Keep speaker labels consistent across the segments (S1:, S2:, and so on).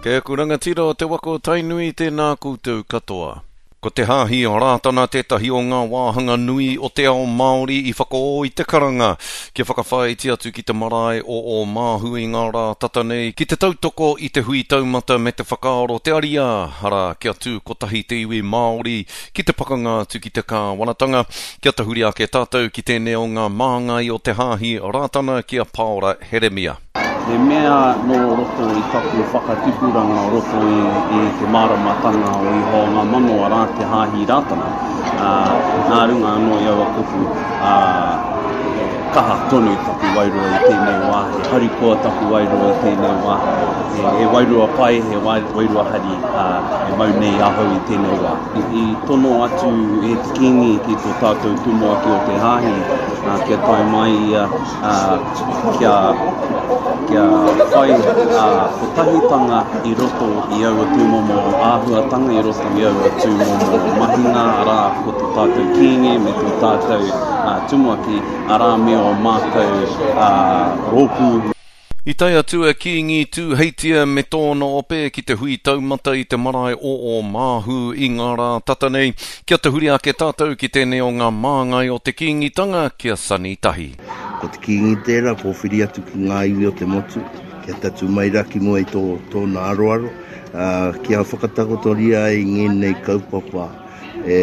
S1: Kei aku rangatira o te waka o Tainui, tēnā koutou katoa. Ko te Hāhi Rātana tētahi o ngā wāhanga nui o te ao Māori i whakaō i te karanga kia whakawhāiti atu ki te marae o Ōmāhu i ngā rā tata nei ki te tautoko i te hui taumata me te whakaaro te ariā, arā, kia tū kotahi te iwi Māori ki te pakanga atu ki te kāwanatanga. Kia tahuri ake tātou ki tēnei o ngā māngai o te Hāhi Rātana ki a Pāora Heremia.
S2: He mea nō roto i taku whakatipuranga o roto i te māramatanga o Ihowa o ngā mano, arā, te Hāhi Rātana, ā, nā runga anō i aua kupu, ā, he kaha tonu taku wairua i tēnei wā, he harikoa taku wairua i tēnei wā, he, he wairua pai, he wairua hari, ā, e mau nei ahau i tēnei wā. I tono atu e te Kīngi ki tō tātou Tumuaki o te Hāhi, ā, kia tae mai ia, ā, kia, kia whai ā, kotahitanga i roto i aua tūmomo āhuatanga, i roto i aua tūmomo mahinga, arā, ko tō tātou Kīngi me tō tātou ā, Tumuaki, arā, me ō mātou ā, rōpū.
S1: I tae atu a Kīngi Tūheitia me tōna ope ki te hui taumata i te marae o Ōmāhu i ngā rā tata nei. Kia tahuri ake tātou ki tēnei o ngā māngai o te Kīngitanga, ki a Sonny Tahi.
S3: Ko te Kīngi tērā, pōwhiri atu ki ngā iwi o te motu, kia tatū mai rā ki mua i tō, tōna aroaro, ā, kia whakatakotoria ai ngēnei kaupapa e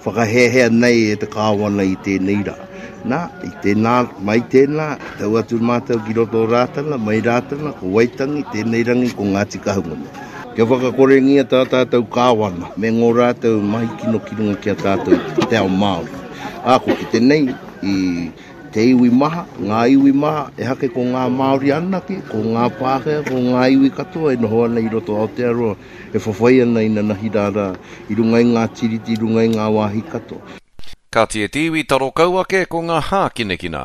S3: whakahēhea nei e te Kāwana i tēnei rā. Nā, i tēnā, mai tēnā, tau atu mātou ki roto o Rātana, mai Rātana, ko Waitangi, tēnei rangi ko Ngāti Kahungunu. Kia whakakorengia tā tātou Kāwana me ngō rātou mahi kino ki runga ki a tātou i te ao Māori. Ā, ko kite nei i te iwi maha, ngā iwi maha, ehake ko ngā Māori anake, ko ngā Pākehā, ko ngā iwi katoa e noho ana i roto o Aotearoa, e whawhai ana inanahi rā rā, i runga i ngā tiriti, i runga i ngā wāhi katoa.
S1: Kāti e te iwi, taro kau ake ko ngā hākinakina.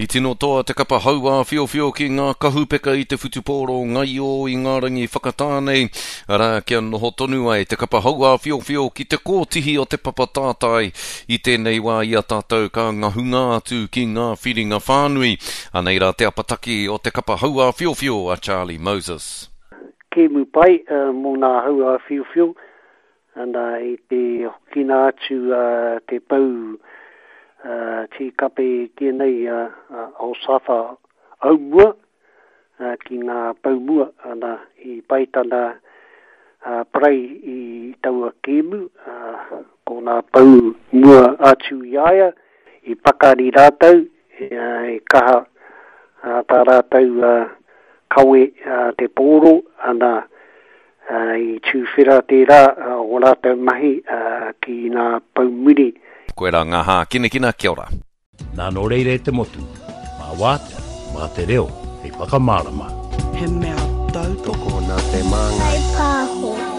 S1: I tino toa te kapa hauāwhiowhio ki ngā kahupeka i te whutupōro ngaio i ngā rangi whakatā nei, arā, kia noho tonu ai te kapa hauāwhiowhio ki te kōtihi o te papa tātai i tēnei wā i a tātou ka ngahunga atu ki ngā whiringa whānui. Anei rā te apataki o te kapa hauāwhiowhio a Charlie Moses.
S4: Kēmu pai mō ngā hauāwhiowhio Ana, i te hokina atu te pou tīkape tēnei a Osafa Aumua ki ngā pou mua, ana, i pai tana parei i taua kēmu, ko ngā pou mua atu i a ia, I pakari rātou, i kaha tā rātou kawe te pōro, ana, i tūwhera tērā o rātou mahi ki ngā pou muri.
S1: Koirā ngā hākinakina, kia ora.
S5: Nā nō reira e te motu, mā wātea, mā te reo hei whakamārama.
S6: He mea tautoko.
S7: Tokona te māngai.
S8: Whai pāho.